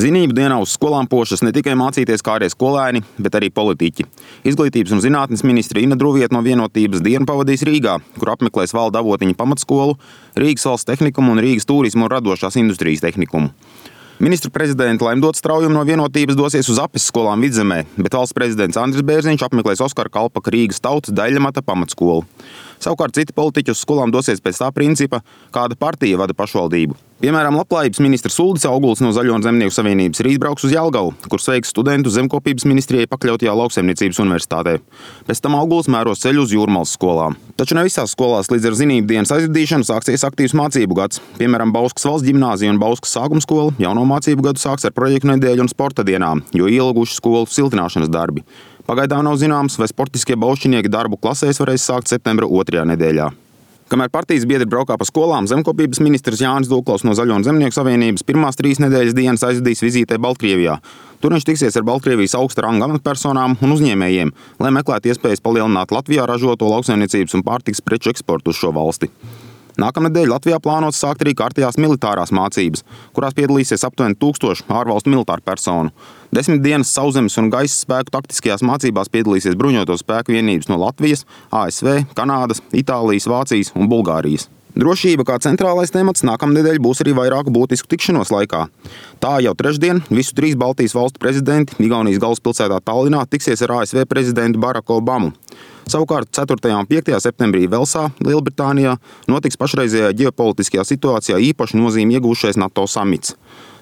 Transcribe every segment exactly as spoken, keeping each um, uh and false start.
Zinību dienā uz skolām pošas ne tikai mācīties kārie skolēni, bet arī politiķi. Izglītības un zinātnes ministre Ina Druvieta no Vienotības dienu pavadīs Rīgā, kur apmeklēs Valda Avotiņa pamatskolu, Rīgas valsts tehnikumu un Rīgas turismu un radošās industrijas tehnikumu. Ministru prezidenta Laimdota Straujuma no Vienotības dosies uz Apes skolām Vidzemē, bet valsts prezidents Andris Bērziņš apmeklēs Oskara Kalpaka Rīgas Tautas Daļļamata pamatskolu. Savukārt citi politiķi uz skolām dosies pēc tā principa, kāda partija vada pašvaldību. Piemēram, Labklājības ministrs Uldis Auguls no Zaļo un Zemnieku savienības rīt brauks uz Jelgavu, kur sveiks studentus Zemkopības ministrijai pakļautajā Lauksaimniecības universitātē. Pēc tam Auguls mēros ceļu uz Jūrmalas skolām. Taču ne visās skolās līdz ar zinību dienas aizvadīšanu sāksies aktīvs mācību gads. Piemēram, Bauskas valsts ģimnāzija un Bauskas sākuma skola jauno mācību gadu sāks ar projektu nedēļu un sporta dienām, jo ielguši skolu siltināšanas darbi. Pagaidām nav zināms, vai sportiskie baušķinieki darbu klasēs varēs sākt septembra otrajā nedēļā. Kamēr partijas biedri braukā pa skolām, Zemkopības ministrs Jānis Dūklaus no Zaļo un Zemnieku savienības pirmās trīs nedēļas dienas aizvadīs vizītē Baltkrievijā. Tur viņš tiksies ar Baltkrievijas augsta ranga amatpersonām un uzņēmējiem, lai meklētu iespējas palielināt Latvijā ražoto lauksaimniecības un pārtikas preču eksportu uz šo valsti. Nākamnedēļ Latvijā plānots sākt arī kārtējās militārās mācības, kurās piedalīsies aptuveni tūkstoši ārvalstu militāru personu. Desmit dienas sauszemes un gaisa spēku taktiskajās mācībās piedalīsies bruņoto spēku vienības no Latvijas, A S V, Kanādas, Itālijas, Vācijas un Bulgārijas. Drošība kā centrālais temats nākamnedēļ būs arī vairāku būtisku tikšanos laikā. Tā jau trešdien visu trīs Baltijas valstu prezidenti Igaunijas galvaspilsētā Tallinā tiksies ar A S V prezidentu Baraku Obamu. Savukārt ceturtajā un piektajā septembrī Velsā, Lielbritānijā, notiks pašreizējā ģeopolitiskajā situācijā īpaši nozīmi iegūšais NATO samits.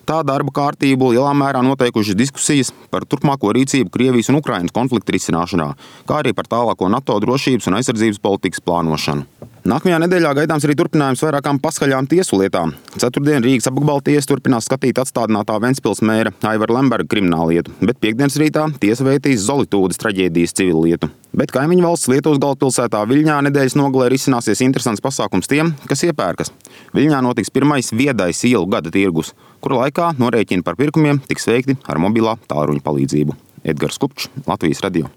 Tā darba kārtību lielā mērā noteikušas diskusijas par turpmāko rīcību Krievijas un Ukrainas konflikta risināšanā, kā arī par tālāko NATO drošības un aizsardzības politikas plānošanu. Nākamajā nedēļā gaidāms arī turpinājums vairākām paskaļām tiesu lietām. Ceturtdien Rīgas apgabala tiesa turpinās skatīt atstādinātā Ventspils mēra Aivara Lemberga krimināllietu, bet piekdienas rītā tiesa veitīs Zolitūdes traģēdijas civilietu. Bet kaimiņu valsts Lietuvas galvaspilsētā Viļņā nedēļas nogalē risināsies interesants pasākums tiem, kas iepērkas. Viļņā notiks pirmais viedais ielu gada tirgus, kura laikā norēķini par pirkumiem tiks veikti ar mobilā tālruņa palīdzību. Edgars Kupčs, Latvijas radio.